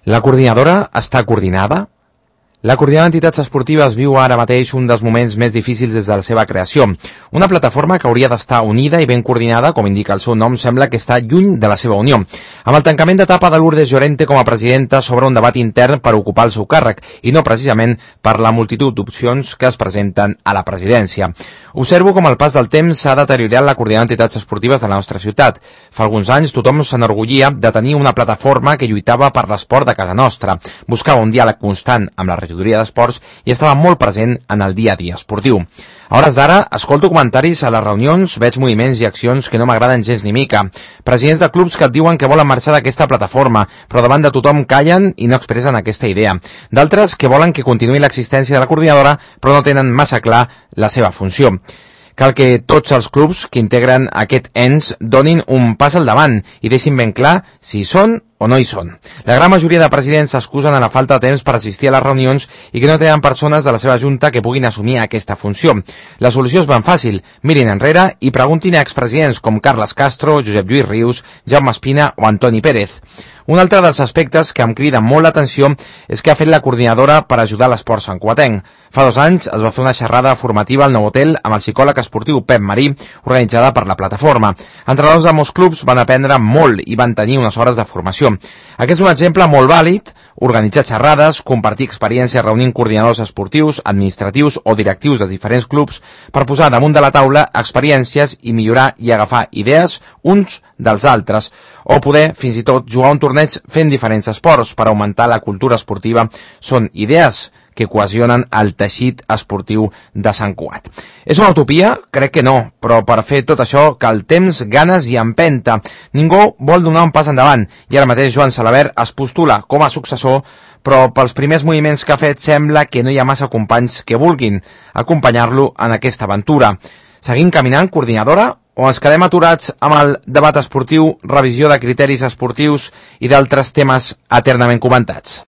La coordinadora està coordinada? La Coordinadora d'Entitats Esportives viu ara mateix un dels moments més difícils des de la seva creació. Una plataforma que hauria d'estar unida i ben coordinada, com indica el seu nom, sembla que està lluny de la seva unió. Amb el tancament d'etapa de Lourdes Llorente com a presidenta s'obre un debat intern per ocupar el seu càrrec, i no precisament per la multitud d'opcions que es presenten a la presidència. Observo com el pas del temps s'ha deteriorat la Coordinadora d'Entitats Esportives de la nostra ciutat. Fa alguns anys tothom s'enorgullia de tenir una plataforma que lluitava per l'esport de casa nostra, buscava un diàleg constant amb la regidoria d'esports i estava molt present en el dia a dia esportiu. A hores d'ara, escolto comentaris a les reunions, veig moviments i accions que no m'agraden gens ni mica. Presidents de clubs que et diuen que volen marxar d'aquesta plataforma, però davant de tothom callen i no expressen aquesta idea. D'altres que volen que continuï l'existència de la coordinadora, però no tenen massa clar la seva funció. Cal que tots els clubs que integren aquest ens donin un pas al davant i deixin ben clar si hi són o no hi són. La gran majoria de presidents s'excusen a la falta de temps per assistir a les reunions i que no tenen persones de la seva junta que puguin assumir aquesta funció. La solució és ben fàcil. Mirin enrere i preguntin a expresidents com Carles Castro, Josep Lluís Rius, Jaume Espina o Antoni Pérez. Un altre dels aspectes que em crida molt l'atenció és que ha fet la coordinadora per ajudar l'esport santcugatenc. Fa 2 anys es va fer una xerrada formativa al nou hotel amb el psicòleg esportiu Pep Marí, organitzada per la plataforma. Entrenadors de molts clubs van aprendre molt i van tenir unes hores de formació. Aquest és un exemple molt vàlid: organitzar xerrades, compartir experiències reunint coordinadors esportius, administratius o directius de diferents clubs per posar damunt de la taula experiències i millorar i agafar idees uns dels altres, o poder fins i tot jugar un torneig fent diferents esports per augmentar la cultura esportiva. Són idees que cohesionen el teixit esportiu de Sant Cugat. És una utopia? Crec que no, però per fer tot això cal temps, ganes i empenta. Ningú vol donar un pas endavant, i ara mateix Joan Salabert es postula com a successor, però pels primers moviments que ha fet sembla que no hi ha massa companys que vulguin acompanyar-lo en aquesta aventura. Seguim caminant, coordinadora, o ens quedem aturats amb el debat esportiu, revisió de criteris esportius i d'altres temes eternament comentats?